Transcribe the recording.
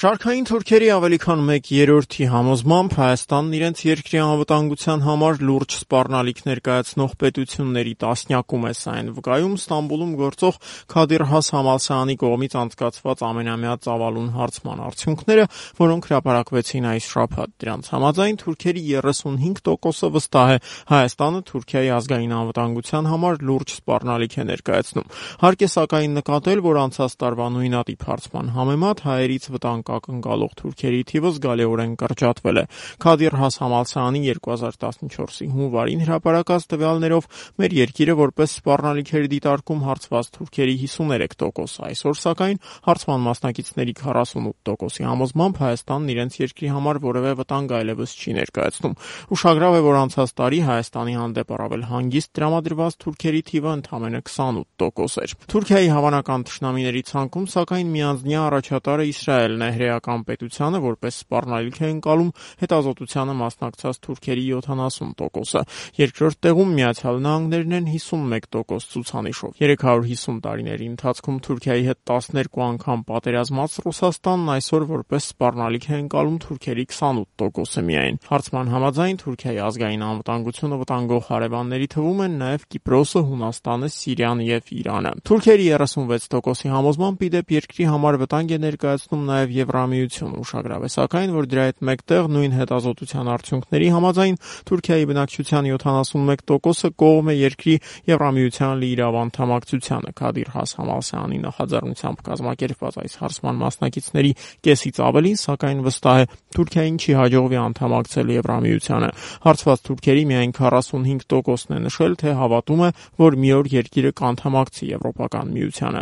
Շարքային թուրքերի ավելի քան 1/3-ի համոզմամբ Հայաստանն իրենց երկրի անվտանգության համար լուրջ սպառնալիք ներկայացնող պետությունների տասնյակում է։ Սա այն վկայում Ստամբուլում գործող Քադիր Has Համալսարանի կողմից անցկացված ամենամյա ծավալուն հարցման արդյունքները, որոնք հրապարակվեցին այս շաբաթ։ Դրանց համաձայն թուրքերի 35%-ը վստահ է Հայաստանը Թուրքիայի ազգային անվտանգության համար լուրջ սպառնալիք է ներկայացնում։ Հարկ է սակայն նկատել, որ անցած տարվա նույնատիպ հարցման համեմատ հայերից վտանգ ակնկալող թուրքերի թիվը զգալիորեն կրճատվել է։ Քադիր Has Համալսարանի 2014-ի հունվարին հրապարակած տվյալներով մեր երկիրը որպես սպառնալիք էր դիտարկում հարցված թուրքերի 53%, այսօր սակայն հարցման մասնակիցների 48%-ի համոզմամբ Հայաստանն իրենց երկրի համար որևէ վտանգ այլևս չի ներկայացնում։ Ուշագրավ է, որ անցած տարի Հայաստանի հանդեպ առավել հանգիստ տրամադրված թուրքերի թիվը ընդամենը 28% էր։ Թուրքիայի հավանական թշնամիների ցանկում սակայն միանձնյա առաջատարը Իսրայելն է։ Հրեական պետությանը որպես սպառնալիք է ընկալում հետազոտությանը մասնակցած թուրքերի 70%-ը։ Երկրորդ տեղում Միացյալ Նահանգներն են 51% ցուցանիշով։ 350 տարիների ընթացքում Թուրքիայի հետ 12 անգամ պատերազմած Ռուսաստանն այսօր որպես սպառնալիք է ընկալում թուրքերի 28%-ը միայն։ Հարցման համաձայն Թուրքիայի ազգային անվտանգությունը վտանգող հարևանների թվում են նաև Կիպրոսը, Հունաստանը, Սիրիան եւ Իրանը։ Թուրքիերի 36%-ի համոզմամբ իդեպ երկրի համար վտանգ է ներկայացնում նաև Եվրամիությունը։ Ուշագրավ է սակայն, որ դրա հետ մեկտեղ նույն հետազոտության արդյունքների համաձայն Թուրքիայի բնակչության 71%-ը կողմ է երկրի Եվրամիության լիիրավ անդամակցությանը։ Քադիր Has Համալսարանի նախաձեռնությամբ կազմակերպված այս հարցման մասնակիցների կեսից ավելին սակայն վստահ է Թուրքիային չի հաջողվի անդամակցել Եվրամիությանը։ Հարցված թուրքերի միայն 45%-ն է նշել, թե հավատում է, որ մի օր երկիրը կանդամակցի Եվրոպական միությանը։